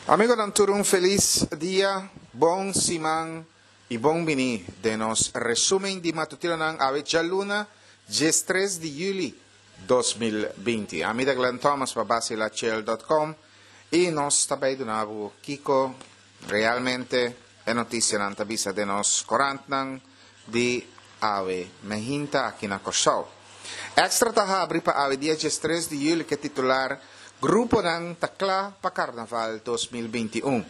Amigonan tur un felis dia, bon siman y bon bini den nos resumen di matutinonan awe djaluna diestres di juli 2020. Ami ta Glenn Thomas pa Basilachel dot com y nos ta bay duna bo kico realmente e noticianan ta bisa den nos corantnan di awe mehinta aki na Kòrsou. Extra ta habri pa awe dia diestres di yüli ku e titular Gruponan ta kla pa Karnaval 2021.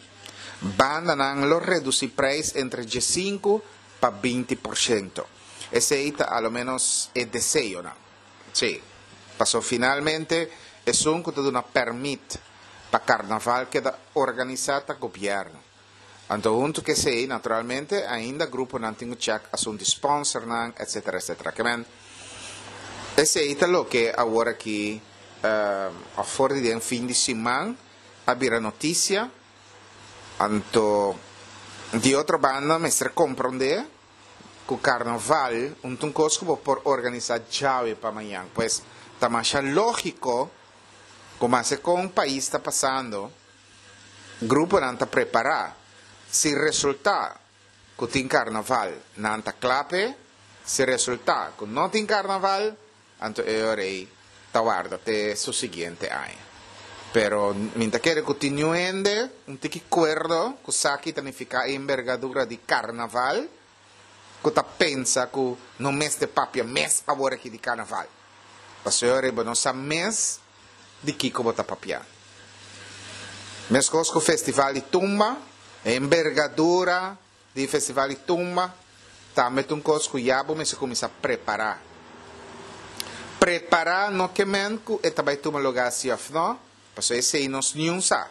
Bandanan lo redusí preis entre diesinku pa 20%. Esei ta a lo ménos e deseonan. Sí, paso finalmente esun ku ta duna pèrmit pa karnaval keda organisá ta gobièrnu. Anto huntu ku esei, naturalmente, ainda gruponan tin ku chèk asuntu di sponsornan, etsetera, etsetera. Ke men, esei ta loke awor aki, òf for di den fin di siman, a bira notisia. Anto, di otro banda mester komprondé ku karnaval un ta un kos ku bo por organisá djawe pa mañan. Pues, ta masha lógiko ku maske kon pais ta pasando, Gruponan ta prepará. Si resultá ku tin karnaval, nan ta kla p'e. Si resultá ku no tin karnaval, anto e ora ei ta warda te su siguiente aña. Pero mi ta kere ku tin niun hende un tiki kuerdo ku sa ki ta nifiká e embergadura di karnaval ku ta pensa ku no mester papia mes awor aki di karnaval. Pasobra e ora ei bo no sa mes di kiko bo ta papia. Meskos ku festival di tumba, e embergadura di festival di tumba tambe ta un kos ku ya bo mester kuminsá prepará. Prepará no ke men ku e ta bai tuma lugá si òf no, pasobra esei nos niun sa.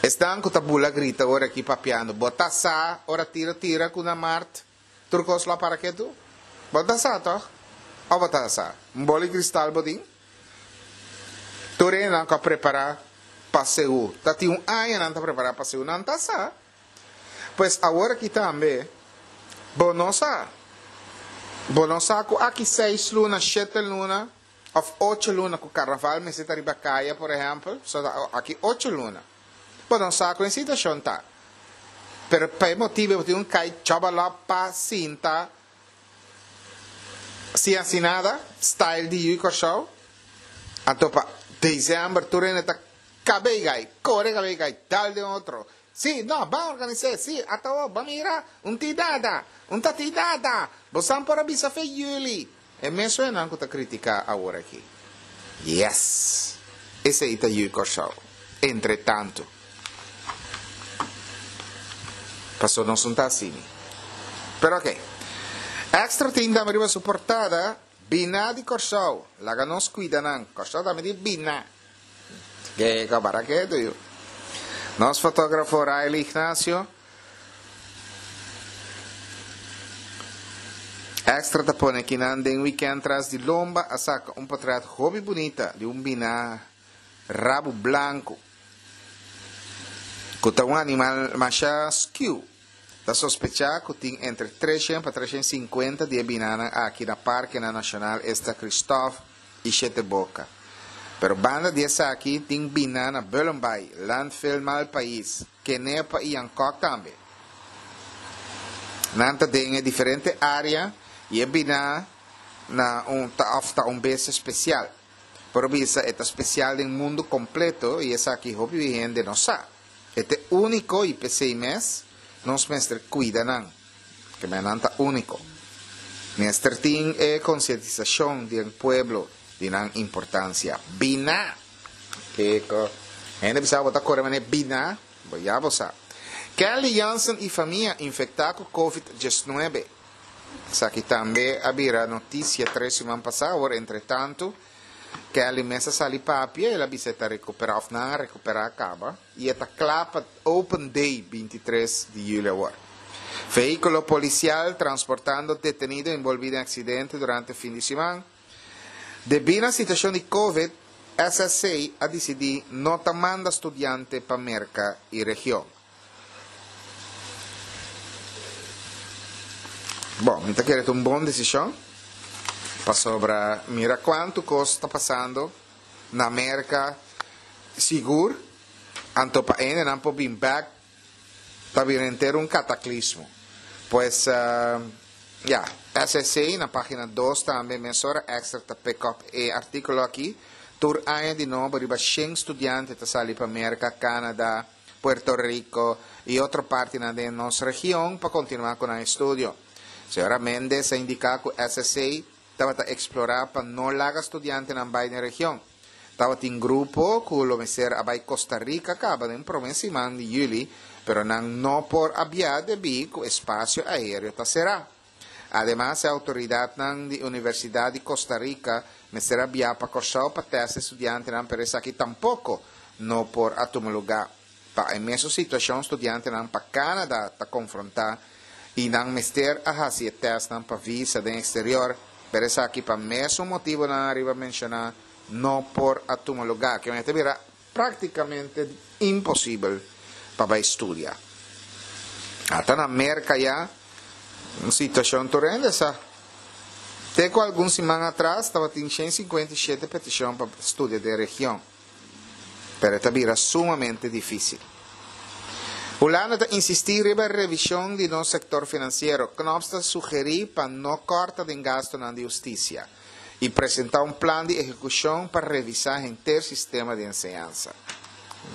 Esnan ku ta bula grita ora aki papiando, bo ta sa ora tira tira ku na mart? Tur kos lo a para ketu? Bo ta sa tòg? Òf bo ta sa? Un boli kristal bo tin? Tur hendenan ku a prepará pa Seú, ta tin un aña nan ta prepará pa Seú, nan ta sa. Pues awor aki tambe, bo no sa. Bo no sa ku aki seis luna, shete luna, òf ocho luna ku karnaval mester ta riba kaya, por ehèmpel, so ta aki ocho luna. Bo no sa kon e situashon ta. Pero pa e motibu bo tin un kai chòbalòp pa sinta sin hasi nada, style di Yu Kòrsou. Anto pa desèmber tur hende ta kabei gai, kore kabei gai, dal den otro. Sí, no, ban organis'é, sí, ata awor, ban mira, un tin nada, un ta tin nada, bosan por a bisa fe yüli. E mesun enan ku ta kritiká awor aki. Yes! Esei ta Yu Kòrsou. Entre tantu. Paso nos no ta asini. Pero oke. Extra tin tambe riba su portada, Biná di Kòrsou. Laga nos kuida nan. Kòrsou tambe tin biná. Ke kabara ketu yu. Nos fotógrafo Riley Ignacio. Extra ta pone kinan den weekend tras di lomba a saka un potret hopi bunita di un bina rabu blanku ku ta un animal masha skiu. Ta sospecha ku tin entre 300 pa 350 di e binanan aki na parkenan nashonal esta Kristof i Shete Boka. Pero banda di esaki tin bina na Bullenbaai, Landfill Malpais, Kenepa i Yankòk tambe. Nan ta den e diferente área i e bina na un ta òf ta un bestia spesial. Por bisa e ta spesial den mundu kompleto i esaki hopi hende no sa. E ta e úniko i p'esei mes nos mester kuida nan. Keme nan ta úniko. Mester tin e konsientisashon den pueblo di nan importansia. Bina! Kiko? Hende bisa bo ta kore manera bina? Bo ya bo sa. Kelly Jansen i famia infektá ku Covid 19. Esaki tambe a bira notisia tres siman pasá. Awor entretantu Kelly mes a sali papia, el a bisa e ta rekuperá òf nan a rekuperá kaba i e ta kla pa Open Day 23 di yüli awor. Vehíkulo polisial transportando detenido enbolbí den aksidente durante fin di siman. Debí na situashon di Covid, SSC a disidí no ta manda studiante pa Merka i region. Bon, mi ta kere ta un bon desishon, pasobra mira kuantu kos ta pasando na Merka sigur. Anto pa hendenan por bin bek ta bira henter un kataklismo. Pues, ya, SSC na pagina dos tambe mesora Extra ta pick up e artíkulo aki. Tur aña di nobo riba shen studiante ta sali pa Merka, Canada, Puerto Rico i otro partinan den nos region pa kontinuá ku nan estudio. Señora Mendez a indiká ku SSC tabata eksplorá pa no laga studiantenan bai den region. Tabatin grupo ku lo mester a bai Costa Rica kaba den promé siman di yüli, pero nan no por a bia debí ku espasio aéreo ta será. Ademas e outoridatnan di Universidat di Costa Rica mester a bia pa Kòrsou pa tèst e studiantenan pero esaki tampoko no por a tuma lugá. Pa e mesun situashon studiantenan pa Canada ta konfrontá i nan mester a hasi e tèstnan pa visa den eksterior pero esaki pa mesun motibunan ariba menshoná no por a tuma lugá. Ke mester bira Práktikamente imposibel pa bai studia. Ata na Merka ya un situashon tur hende sa. Te ku algun siman atras tabatin 157 petishon pa studia den region, pero e ta bira sumamente difísil. Hulanda ta insistí riba revishon di nos sektor finansiero. Knops ta sugerí pa no kòrta den gastunan di hustisia. i presentá un plan di ehekushon pa revisá henter sistema di enseñansa.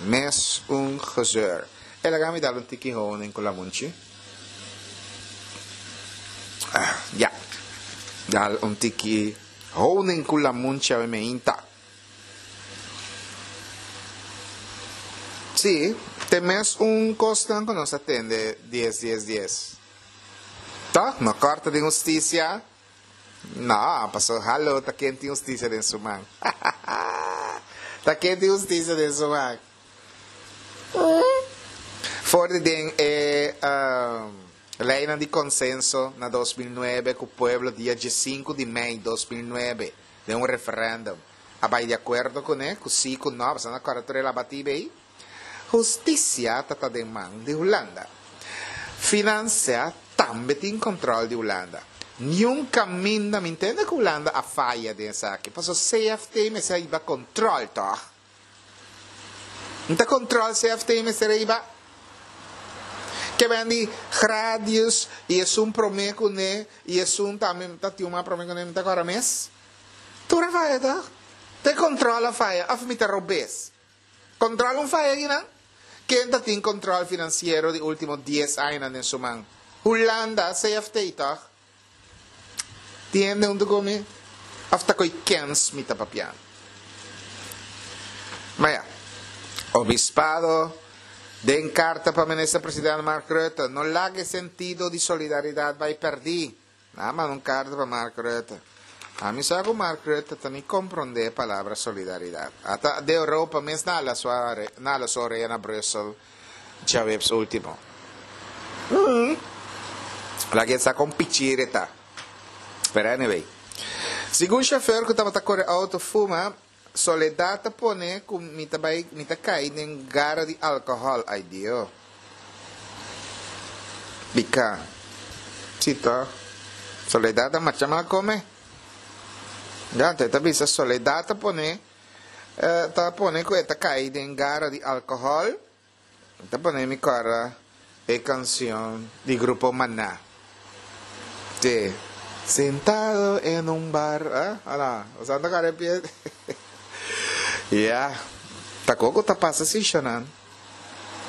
Mes un gezeur. E laga mi dal un tiki honing ku lamunchi. Ah, ya. Dal un tiki honing ku lamunchi awe meinta. Sí, te mes un kosnan ku nos a tende dies dies dies. Tòg, no kòrta den hustisia. No, paso halo, ta ken tin hustisia den su man? Ta ken tin hustisia den su man? For di den e leynan di consenso na 2009 cu pueblo dia diescinco di mei 2009 den un referendum a bay di acuerdo cune cu si cu no, pasobra nan a corda tur e labatibe ey. Hustisia ta ta den man di Hulanda. Financia tambe tin control di Hulanda. Niun caminda mi ntende cu Hulanda a faya den esaki, pasobra CFT mester a hiba control toch? N ta control CFT mester a hiba? Ke ben di Gradius y esun prome cune y esun tambe ta tin un mas prome cune mi ta cora mes? Tur a faya toch? Te control a faya of mi ta robes? Control un faya akinan? Ken ta tin control financiero di ultimo dies añanan den su man? Hulanda, CFT toch? Tin hende hunto cu mi? Of ta coy kens mi ta papiando? Ma ya, Obispado den carta pa Minister President Mark Rutte, no laga e sentido di solidaridad bay perdi. Nan a manda un karta pa Mark Rutte. Ami sa ku Mark Rutte ta ni komprondé e palabra solidaridat. Ata de Europa mes nan a su nan a su orea na Brussel djaweps ultimo. Laga e sa kon pichir e ta. Pero anyway. Segun shofèr ku tabata kore outo fuma, Soledad ta pone ku mi ta bai mi ta kai den gara di alkohòl. Ai Dio. Bika. Si to. Soledad ta marcha mal kome. Ya, te ta bisa Soledad ta pone ta pone ku e ta kai den gara di alkohòl. Ta pone mi kòrda e kanshon di Grupo Maná. Te. Sentado en un bar. Ah, ala, bo sa ta kòrda e pie? Ya, ta koko ta pasa si shonan.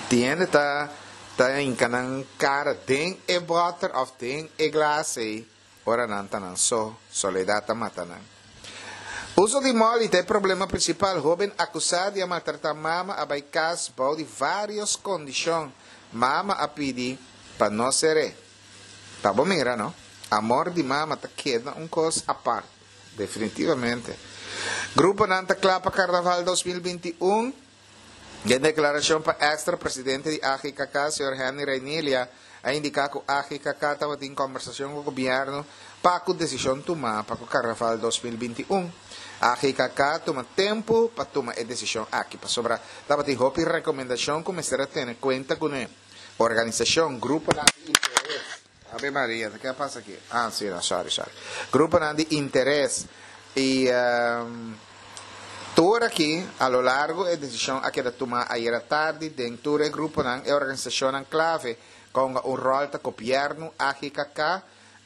Tin hende ta ta hinka nan kara den e bòter òf den e glas ei. Ora nan ta nan so, soledad ta mata nan. Uso di molly ta e problema principal. Hoben acusa di a maltrata mama a bay cas bou di varios condicion. Mama a pidi pa no ser'e. Pa bo mira no, amor di mama ta keda un cos apart. Definitivamente. Gruponan ta cla pa Carnaval 2021. Den deklarashon pa Extra, presidente di AGKK, señor Henny Reinilia, a indiká ku AGKK tabatin kòmbersashon ku gobièrnu pa ku desishon tumá pa ku Karnaval 2021. AGKK tuma tempu pa tuma e desishon aki pasobra tabatin hopi rekomendashon ku mester a tene kuenta kuné. Organisashon, gruponan di interes. Ave Maria, ta ke a pasa aki? Ah, si, no, sorry, sorry. Gruponan di interes i. Tur aki, a lo largo e desishon a keda tumá ayera tardi den tur e gruponan e organisashonnan klave ku a hunga un ròl ta gobièrnu, AGKK,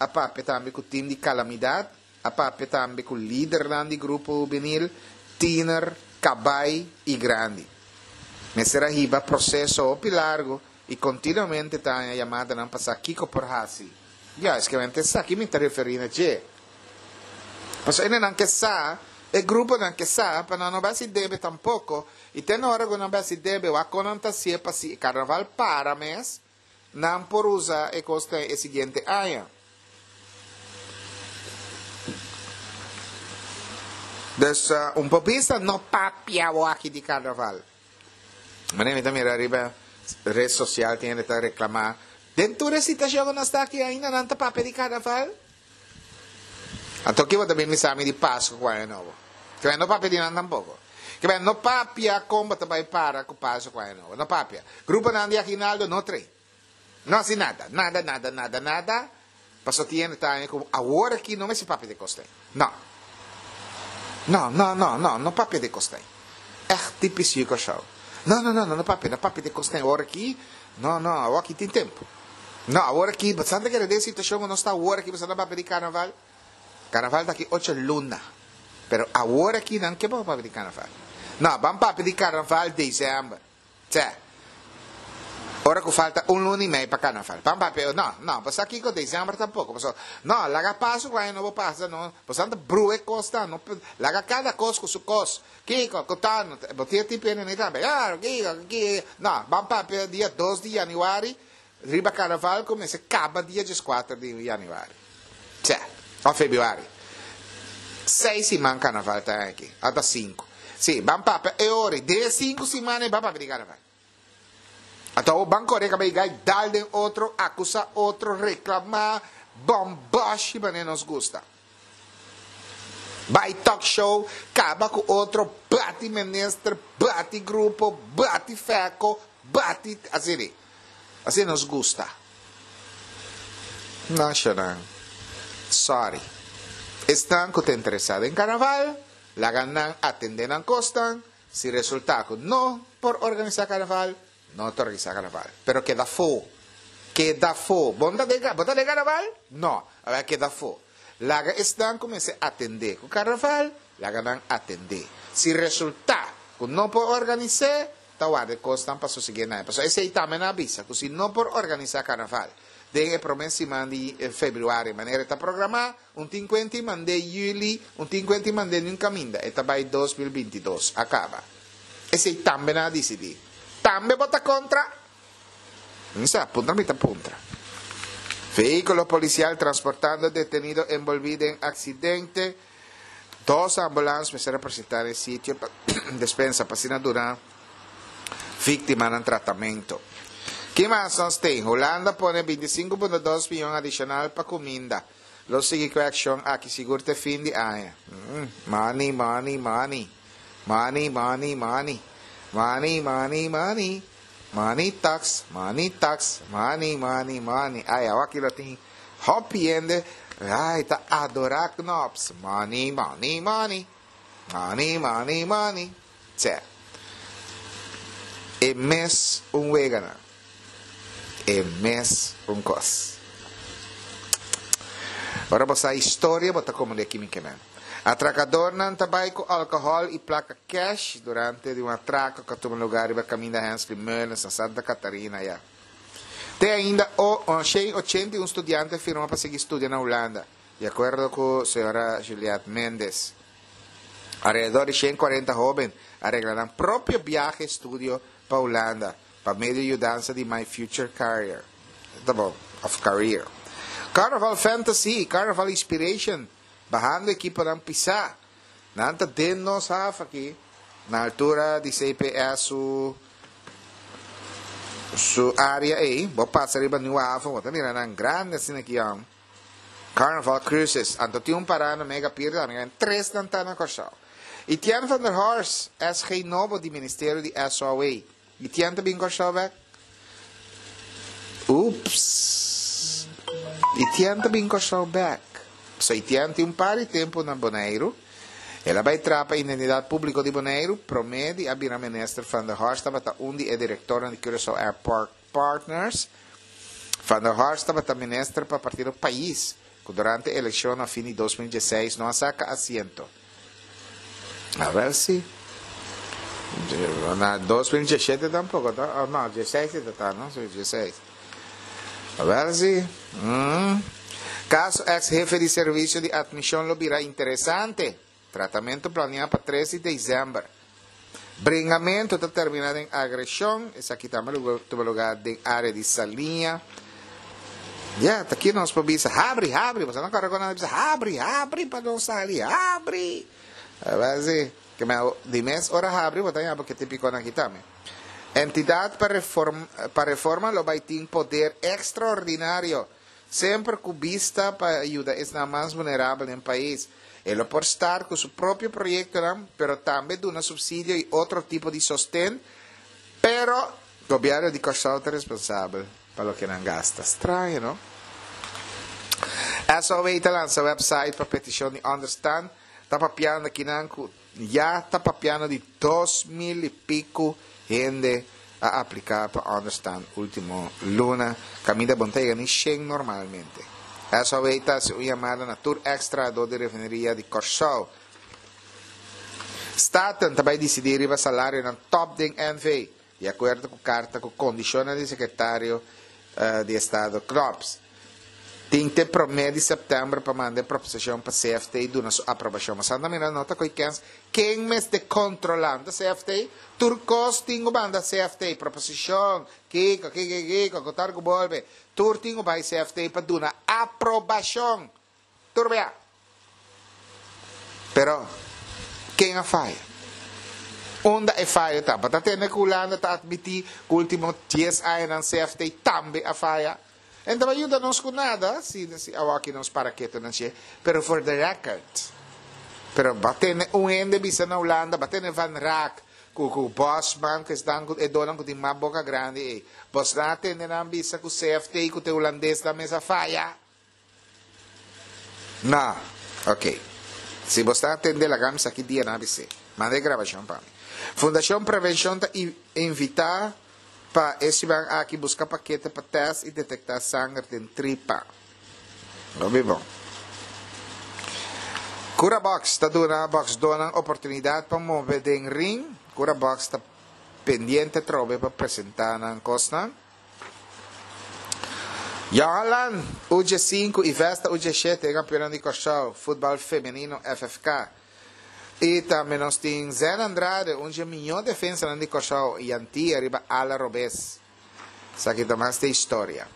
a papia tambe ku tim di kalamidat, a papia tambe ku lidernan di grupo hubenil, tiner, kabai i grandi. Mester a hiba proseso hopi largo i kontinuamente ta haña yamadanan pa sa kiko por hasi. Ya, eskemente esaki mi ta referí na dje. Pasobra hendenan ke sa, e gruponan ke sa, pa nan no bai hasi debe tampoko, i te na ora ku nan bai hasi debe, wak kon nan ta hasié pa si e karnaval para mes, nan por usa e kos den e siguiente aña. Dus, un por bisa no papia awaki di karnaval. Manera mi ta mira riba red sosial tin hende ta reklamá, Den tur e situashon ku nos ta aki ainda nan ta papia di karnaval? Anto ki bo ta bin bisa mi di Pasku ku Aña Nobo? Ke men no papia di nan tampoko. Ke men no papia kon bo ta bai para ku Pasku ku Aña Nobo. No papia. Gruponan di aginaldo no trae. No hasi nada. Nada, nada, nada, nada. Pasobra tin hende ta haña ku awor aki no mester papia di kos ei. No. No, no, no, no, no papia di kos ei. Ègt tipis yu Kòrsou. No, no, no, no, no papia, no papia di kos ei awor aki. No, no, awor aki tin tempu. No, awor aki, bo sa ta kere den situashon ku nos ta awor aki, bo sa ta papia di karnaval? Karnaval ta aki ocho luna. Pero awor aki nan ke bo papia di karnaval? No, ban papia di karnaval desèmber. Tse. Ora ku falta un luna i mei pa karnaval. Ban papia, no, no, bo sa kiko desèmber tampoko, pasobra, no, laga paso ku aña nobo pasa, no, bo sa ta brua e kosnan, no, laga kada kos ku su kos. Kiko, ku ta, bo tin e tipo hende nei tambe, ya, kiko, kiko, no, ban papia dia dos di yanüari, riba karnaval ku mester kaba dia dieskuater di yanüari. Tse, òf febrüari. Seis siman karnaval ta aki, ata sinku. Si, ban papia e ora, den e sinku siman ei ban papia di karnaval. Anto ban kore kaba i gai dal den otro, akusá otro, reklamá, bòmbòshi manera nos gusta. Bai talk show, kaba ku otro, bati minister, bati grupo, bati fèko, bati asina. Asina nos gusta. Nashanan, sorry. Esnan ku ta interesá den karnaval, laga nan atendé nan kosnan. Si resultá ku no por organisá karnaval, no ta organisá karnaval. Pero keda afó. Keda afó. Bo no ta den, bo ta den karnaval? No. Awor keda afó. Laga esnan ku mester atendé ku karnaval, laga nan atendé. Si resultá ku no por organis'é, ta warda e kosnan pa sosigué na e. Pasobra esei tambe nan a bisa ku si no por organisá karnaval den e promé siman di febrüari manera e ta programá, Un tin kuenta i mand'é yüli, un tin kuenta i mand'é niun kaminda. E ta bai 2022 a kaba. Esei tambe nan a disidí. Tambe bo ta kontra? Mi sa, puntra mi ta puntra. Vehíkulo polisial transportando detenido enbolbí den aksidente. Dos ambulans mester a presentá na e sitio pa despensa pa asina duna víktimanan tratamento. Ki mas nos tin? Hulanda pone 25.2 miyon adishonal pa kuminda. Lo sigui ku e akshon aki sigur te fin di aña. Money, money, money. Money, money, money. Money, money, money. Money talks, money talks, money, money, money. Ay, awaki lo tin hopi hende, ay, ta adora Knops. Money, money, money. Money, money, money. Tse. E mes un weganan. E mes un kos. Ora bo sa historia bo ta komprendé kimi ke men. Atrakadornan ta bai ku alkohòl i plaka kèsh durante di un atrako ku a tuma lugá riba kaminda Hensley Meulens na Santa Catarina ya. Te ainda o 181 studiante a firma pa sigui studia na Hulanda, di akuerdo ku señora Juliette Mendes. Alrededor di 140 hóben a regla nan propio biahe estudio pa Hulanda pa medio yudansa di My Future Carrier. Ta bon, of Career. Carnaval Fantasy i Carnaval Inspiration bahando ekiponan pisá. Nan ta den nos haf aki na altura di CPS su su área ei. Bo pasa riba Nieuwe Haven, bo ta mira nan grandi asina aki yòn. Carnaval Cruises, anto tin un pará na Mega Pier tambe, en tres nan ta na Kòrsou. Etienne van der Horst, SG nobo di Ministerio di SOAW. Etienne ta bin Kòrsou bèk? Ups! Etienne ta bin Kòrsou bèk. So Etienne tin un par di tempu na Boneiru. El a bai traha pa Identidat Públiko di Boneiru, promé di a bira minister Van der Horst tabata un di e direktornan di Curaçao Airport Partners. Van der Horst tabata minister pa partido Pais, ku durante elekshon na fin di 2016 no a saka asiento. Awel si. Na 2017 tampoko ta? Oh no, dieseis e ta ta, no? Si, dieseis. Awel si. Mm. Kaso eks hefe di servisio di atmishon lo bira interesante. Tratamentu planiá pa tres di desèmber. Bringamentu ta terminá den agreshon. Esaki tambe lo tuma lugá den área di Saliña. Ya, ta ki nos por bisa, habri, habri. Boso no kòrda ku nan a bisa, habri, habri pa nos sali, habri. Awel si, ke men di mes ora habri bo ta yama ke tipiko nan aki tambe. Entidat pa reform, pa reforma lo bai tin poder ekstraordinario, semper ku bista pa yuda esnan mas vulnerabel den pais. E lo por start ku su propio proyektonan, pero tambe duna supsidio i otro tipo di sosten, pero gobièrnu di Kòrsou ta responsabel pa loke nan gasta. Straño, no? SOW ta lansa website pa petishon di ònderstan. Ta papiando kinan ku ya ta papiando di 2000 i piku hende a apliká pa ònderstan último luna. Kaminda bon ta yega ni shen normalmente. SOW ta hasi un yamada na tur èks trahadó di refineria di Kòrsou. Staten ta bai disidí riba salarionan tòp den NV. Di akuerdo ku karta ku kondishonnan di sekretario di estado Knops, tin te promé di sèptèmber pa manda e proposishon pa CFT duna su aprobashon. Mas anda mira no ta ko'i kens ken mester kontrolá, no ta CFT? Tur kos tin ku manda CFT, proposishon, kiko, kiko, kiko, ku tar ku bolbe, tur tin ku bai CFT pa duna aprobashon. Tur bia. Pero, ken a faya? Unda e fayo ta? Bo ta tende ku Hulanda ta atmití ku último dies añanan CFT tambe a faya? En ta bai yuda nos ku nada si si awaki nos para ketu nan dje, pero for the record. Pero bo a tende un hende bisa na Hulanda, bo a tende Van Raak ku ku Bosman ku esnan ku e donan ku tin mas boka grandi ei. Bosnan a tende nan bisa ku CFT ku te hulandesnan mes a faya? No. Ok. Si bo sta atende laga mi sa ki dia nan a bis'é. Manda e grabashon pa mi. Fundashon Prevenshon ta invitá pa e siman aki buska pakete pa tèst i detektá sanger den tripa. Hopi bon. Curabox ta duna bòksdónan oportunidat pa move den ring. Curabox ta pendiente atrobe pa presentá nan kosnan. Johan UG 5 i Vesta UG 7 e kampionnan di Kòrsou futbòl femenino FFK. I tambe nos tin Zen Andrade un dje mihó defensanan di Kòrsou i Antia riba ala robes. Esaki ta mas di historia.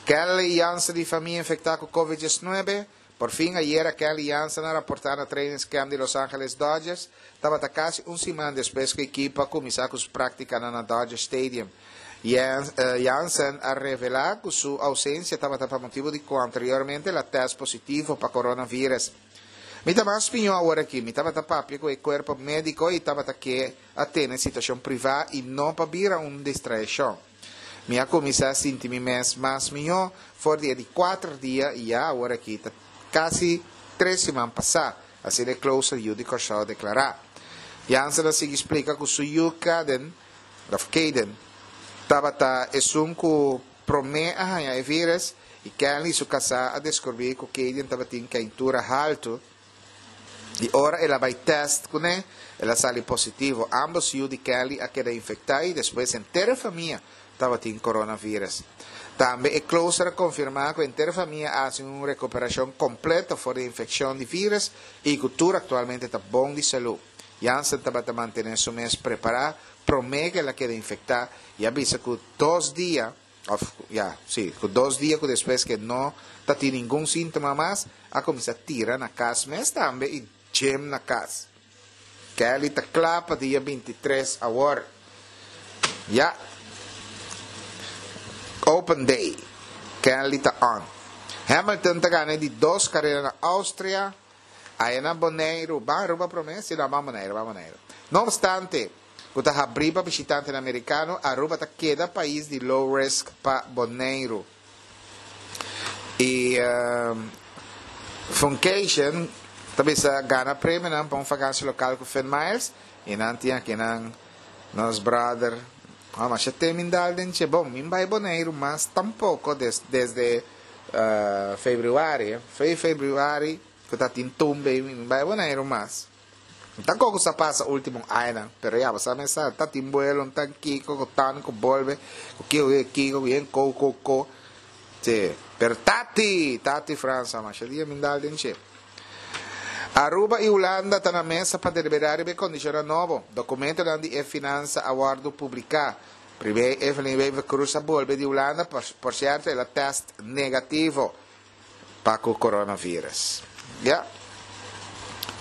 Kelly Jansen di famia infektá ku Covid 19 Por fin ayera Kenley Jansen a raporta na trainingscamp di Los Angeles Dodgers. Tabata casi un siman despues cu ekipo a cuminsa cu su practicanan na Dodger Stadium. Jansen a revela cu su ausencia tabata pa motibo di cu anteriormente el a test positivo pa coronavirus. Mi ta mas piño awor aki. Mi tabata papia cu e cuerpo medico y tabata ke a tene situacion priva y no pa bira un distraicion. Mi a kuminsá sinti mi mes mas mihó for di e di kuater dia i ya awor aki ta kasi tres siman pasá, asina e closer yu di Kòrsou a deklará. Jansen a sigui splika ku su yu Kaden, òf Kaden, tabata esun ku promé a haña e vírus i Kenley su kasá a deskubrí ku Kaden tabatin keintura haltu. Di ora el a bai tèst kuné, el a sali positivo. Ámbos yu di Kelly a keda infektá i despues henter e famia tabatin coronavirus. Tambe e closer a konfirmá ku henter e famia a hasi un rekuperashon kompleto for di infekshon di vírus i ku tur aktualmente ta bon di salú. Jansen tabata mantené su mes prepará promé ku el a keda infektá i a bisa ku dos dia, Of, ya, sí, ku dos dia ku despues ke no ta tin ningun síntoma mas, a kuminsá tira na kas mes tambe i gym na kas. Kelly ta kla pa dia 23 awor. Ya. Open day. Kelly ta on. Hamilton ta gana e di dos karera na Austria. Aya na Boneiru. Ban Aruba promé? Si no, ban Boneiru, ban Boneiru. No obstante, ku ta habrí pa bishitantenan merikano, Aruba ta keda pais di low risk pa Boneiru. I Funcation Ta bisa gana premionan pa un vakantie lokal ku Finn Miles i nan tin akinan nos brother oh masha te min dal den dje bon min bai Boneiru mas tampoko des desde februari fe februari ku ta tin tumbe min bai Boneiru mas tankoko sa pasa ultimo añanan pero ya bo sa mesa ta tin buelo ta kiko ku tan ku bolbe ku kiko ku kiko ku yen ko ko ko si pero tati tati Fransa masha dia min dal den dje. Aruba y Hulanda ta na mesa pa delibera riba e condicionnan nobo. Documentonan di e finansa a wordo publica. Primer Evelyn Wever-Croes a bolbe di Hulanda, por cierto el a test negativo pa cu coronavirus. Ya.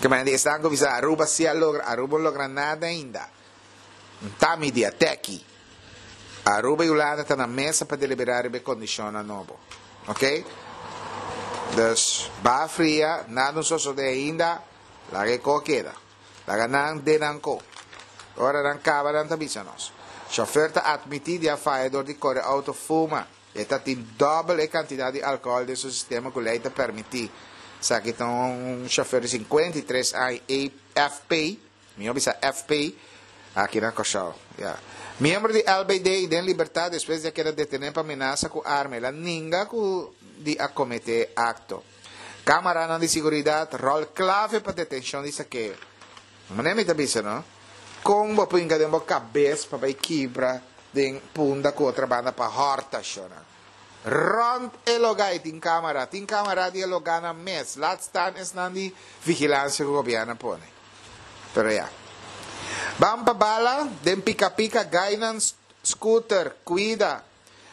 Ke men di esnan cu bisa Aruba si a logra, Aruba no logra nada ainda. Nta mi di a teki. Aruba y Hulanda ta na mesa pa delibera riba e condicionnan nobo. Ok? Dus, baha fria, nada no sosode ainda, laga e ko keda. Laga nan den nan ko. Ora nan kaba nan ta bisa nos. Chauffeur ta admiti di a faya dor di kore auto fuma. E ta tin dobbel e cantidad di alcohol den su sistema cu ley ta permiti. Esaki ta un chauffeur di 53 aña, AFP. Mi a bisa FP aki na Kòrsou. Ya. Miembro di LBD den libertad despues di a keda detené pa menasa ku arma. El a ninga ku di a kometé akto. Kamaranan di siguridat ròl klave pa detenshon di sakeo. Manera mi ta bisa no, kon bo por hinka den bo kabes pa bai kibra den punda ku otro banda pa hòrta shona. Rònt e logá i tin kamara. Tin kamara di e logánan mes. Laat staan esnan di vigilansia ku gobièrnu a pone. Pero ya. Ban pa bala den pika pika gainan scooter cuida.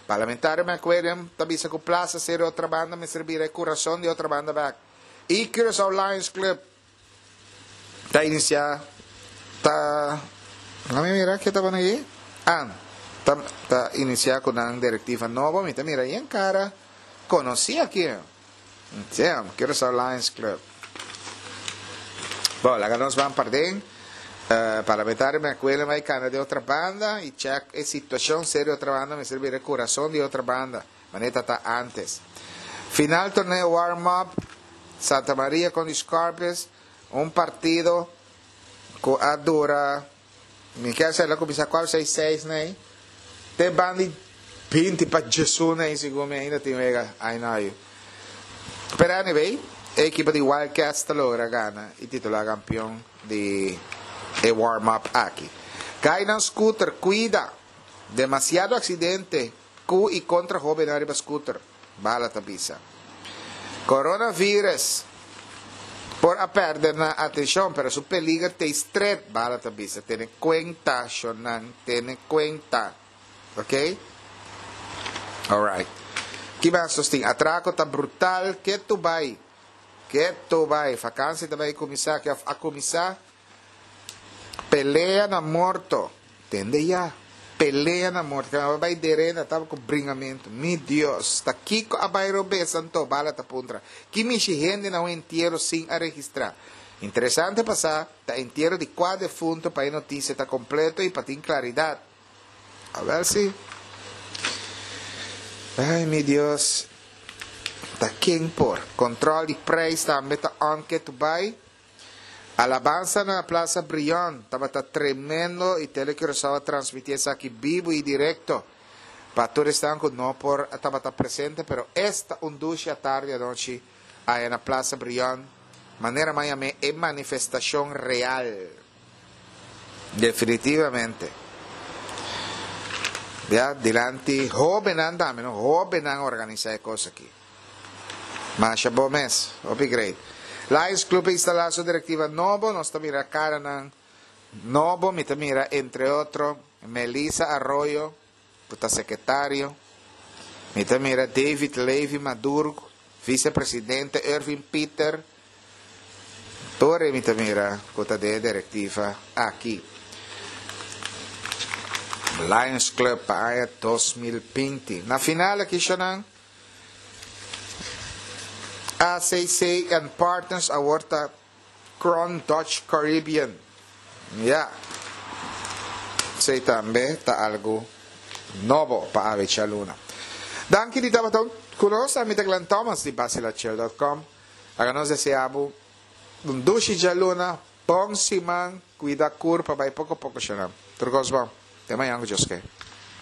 Parlamentario McWilliam ta bisa cu Plaza Serie Otrabanda mester bira e curason di Otrabanda bek. Y Curaçao Lions Club ta inicia ta Lami mira ke ta pone aki. Ah, ta ta inicia cu nan directiva nobo. Mi ta mira yen cara conoci aki. Damn, Curaçao Lions Club. Bon, laga nos ban parden. Parlamentario McWilliam bai cana di Otrabanda y check e situacion serio Otrabanda mester bira e curason di Otrabanda, manera ta ta antes. Final torneo warm up, Santa Maria con di Scorpions, un partido cu a dura Mi kier sa el a kuminsá kual seis seis nei te ban di binti pa djesun nei segun mi ainda tin wega ai no ayu. Pero anyway e ekipo di Wildcats ta logra gana i titulá kampion di e warm up aki. Gainan scooter kuida! Demasiado aksidente ku i kontra hóbennan riba scooter. Bala ta bisa. Coronavirus por a perde nan atencion, pero su peliger ta stret, Bala ta bisa. Tene cuenta, shonnan, tene cuenta. Ok? Alright. Ki mas nos tin? Atraco ta brutal, ketu bai. Ketu bai. Vakantie ta bai cuminsa, of a cuminsa. Pelea na morto. Tende ya. Pelea na morto. Kema a bai derena taba ku bringamentu. Mi Dios! Ta kiko a bai robes anto? Bala ta puntra. Ki mishi hende na un entiero sin a registrá? Interesante pa sa ta entiero di kua defunto pa e notisia ta kompleto i pa tin klaridat. Awel si. Ai mi Dios! Ta ken por? Kontrol di preis tambe ta on ke tu bai. Alabansa na Plaza Brion tabata tremendo y Tele Curaçao a transmiti esaki bibo y directo pa tur esnan cu no por tabata presente pero esta un dushi atardi anochi aya na Plaza Brion manera mi a yam'e e manifestacion real definitivamente ya dilanti hobennan tambe no hobennan a organisa e cos aki. Masha bo mes. Hopi great. Lions Club a instala su directiva nobo. Nos ta mira caranan nobo. Mi ta mira entre otro Melissa Arroyo cu ta secretario. Mi ta mira David Levy Maduro, vicepresidente Irving Pieter. Tur e mi ta mira cu ta den e directiva aki. Lions Club pa aña 2020. Na final aki shonan. ACC and Partners awor ta Crown Dutch Caribbean. Ya. Esei tambe ta algu nobo pa awe djaluna. Danki di tabata ku nos. Ami ta Glenn Thomas di Basilachel dot com. Laga nos desea bo. Un dushi djaluna, bon siman, kuida kurpa, bai poko poko shonam. Tur kos bon. Te mañan ku Dios ke.